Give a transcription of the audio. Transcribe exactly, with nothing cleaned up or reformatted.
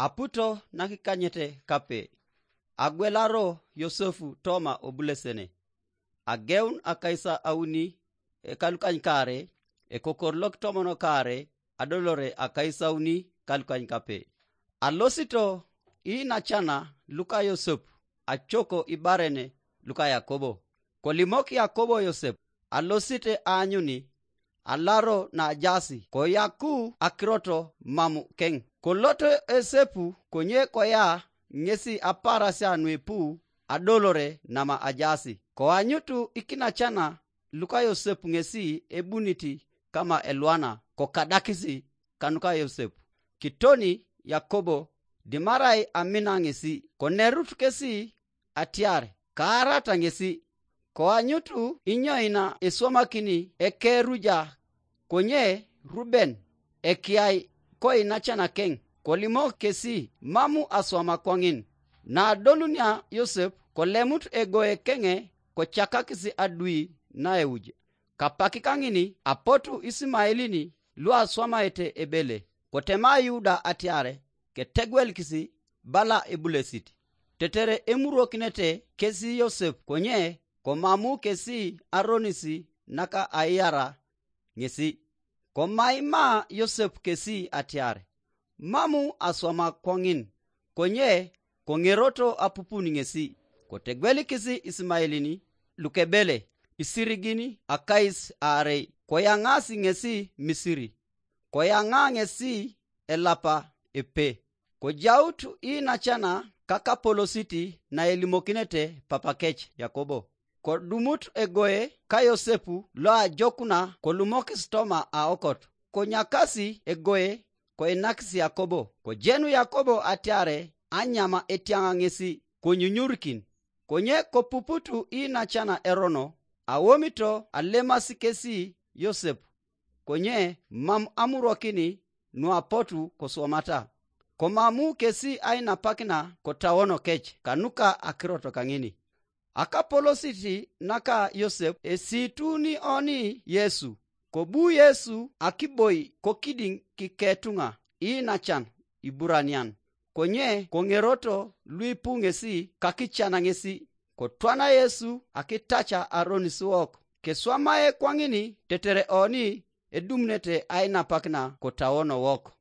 Aputo nakikanyete kape, agwelaro Yosepu toma obulesene. Ageun akais auni ekalukanykaare, ekokor lokitomon kaare, adolore akais auni kalukanykape. Alosito inacana luka Yosepu acoko ibaren luka Yakobo. Kolimok Yakobo Yosepu, alosite aanyuni, alaro najaasi, koyaku akirot mam keng. Koloto Yosepu konye koya ŋesi aparasia nuipu adolore nama ajaasi. Koanyutu ikinacana luka Yosepu ŋesi ebunit kama elwana, kokadakisi kanuka Yosepu. Kitoni Yakobo dimarai amina ŋesi, konerut kesi atiar kaarata ŋesi. Koanyutu inyoina eswamakini ekeruja, konye Ruben ekiai koinacanakeŋ, kolimok kesi mamu aswama kwaŋin. Naadolunia Yosep kolemut egoe keŋe, kocakakis adui naeuj. Kapak kaŋini apotu Isimaelini luaswamaete ebele, kotema Yuda atiar ketegwelikis bala ebulesit, tetere emurokinete kesi Yosep, konye komamu kesi aronis naka aiara ŋesi. Komaima Yosep kesi atiar mamu aswama kwaŋin, konye koŋeroto apupun ŋesi. Kotegwelikis Isimaelini lukebele isirigin akais aarei, koyaŋaas ŋesi Misiri, koyaŋa ŋesi elapa epe. Kojaut inacana kakapolosit naelimokinete papakec Yakobo. Kodumut egoe ka Yosepu loajokuna kolumokis toma aokot. Konyakasi egoe koinakis Yakobo. Kojenu Yakobo atiare anyama etiaŋa ŋesi konyunyurikin. Konye kopuputu inacana erono, awomito alemasi kesi Yosep, konye mam amurokin nuapotu koswamata. Komamu kesi ainapakina kotawono kec kanuka akirot kaŋini. Akapolosit naka Yosep esituni oni Yesu, kobu Yesu akiboi kokidiŋ kiketuŋa inacan Iburanian, konye koŋeroto luipu ŋesi kakican ŋesi. Kotwana Yesu akitaca aronis wok, keswamae kwaŋini tetere oni edumunete ainapakina kotawono wok.